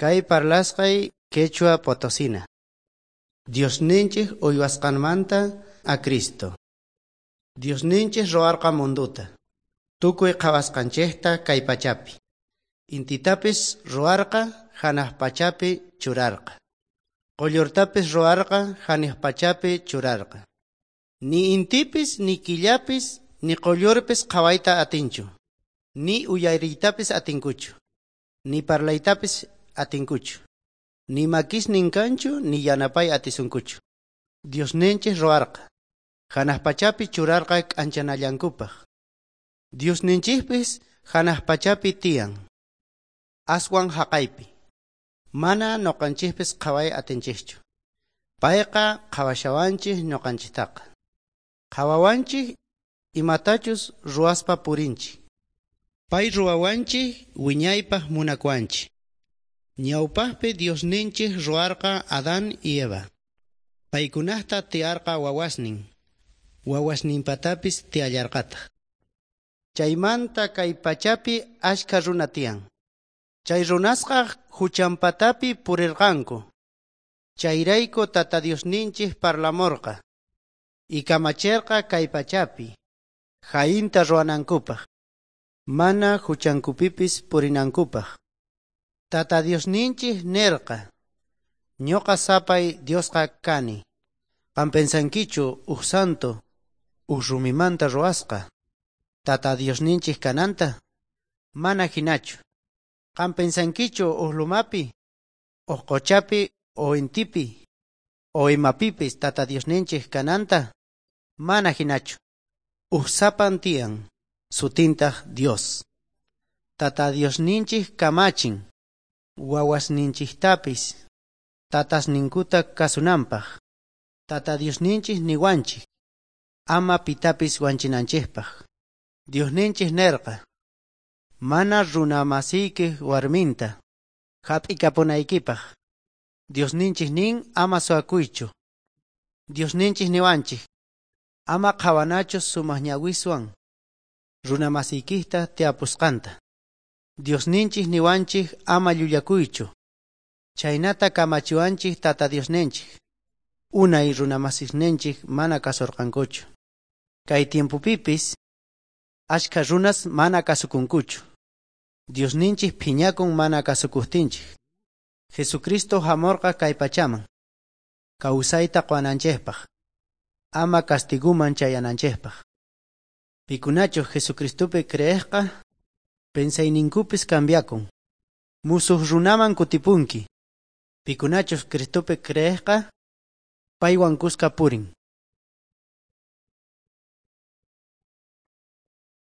Kay parlasqay quechua potosina. Diosninchik uywasqanmanta a Cristo. Diosninchik ruwarqa mundota. Tukuy qhawasqanchikta kay pachapi. Intitapis ruwarqa hanaq pachapi churarqa. Quyllurtapis ruwarqa hanaq pachapi churarqa. Ni intipis ni killapis ni quyllurpis qhawayta atinchu. Ni uyariytapis atinkuchu. Ni parlaytapis atinkuchu. Ni makisnin kanchu ni yanapay atisunkuchu. Diosninchik ruwarqa. Hanaq pachapi churarqa k'anchanallankupaq. Diosninchikpis hanaq pachapi tiyan. Aswan haqaypi. Mana ñuqanchikpis qhaway atinchikchu. Payqa qhawashawanchik ñuqanchiktaqa. Qhawawanchik imatachus ruwaspa purinchik. Pay ruwawanchik wiñaypaq munakuwanchik. Ñawpaqpi Diosninchik ruwarqa Adán y Eva. Paykunaqta tiyarqa wawasnin. Wawasninpatapis tiyallarqataq. Chaymanta kay pachapi achka runa tiyan. Chay runasqa huchanpatapi purirqanku. Chayrayku Tata Diosninchik parlamurqa. Y kamachirqa kay pachapi. Jayinta ruwanankupaq. Mana huchankupipis purinankupaq. Tata Diosninchik nirqa: Ñuqa sapay Diosqa kani. Qam pensankichu uj santo, uj rumimanta ruwasqa. Tata Diosninchik kananta? Mana hinachu. Qam pensankichu uj lumapi, uj qochapi o intipi, o imapipis Tata Diosninchik kananta? Mana hinachu. Uj sapan tiyan, sutintaq Dios. Tata Diosninchik kamachin, wawasninchiktapis tatasninkuta kasunanpaq. Tata Diosninchik niwanchik, ama pitapis wanchinanchikpaq. Diosninchik nirqa: Mana runa masiykiq warminta hap'ikapunaykipaq. Diosninchik nin ama suwakuychu. Diosninchik niwanchik, ama qhawanachu sumaq ñawiswan runa masiykikta tiyapusqanta. Diosninchik niwanchik ama llullakuychu. Chaynata kamachiwanchik Tata Diosninchik. Unay runa masisninchik mana kasurqankuchu. Kay tiempopipis achka runas mana kasukunkuchu. Diosninchik phiñakun mana kasukuqtinchik. Jesucristo hamurqa kay pachaman. Kawsayta quwananchikpaq. Ama castiguman chayananchikpaq. Pikunachu Jesucristopi creeqqa pensayninkupis cambiakun. Musuq runaman kutipunki. Pikunachus Cristopi creeqqa paywan kuska purin.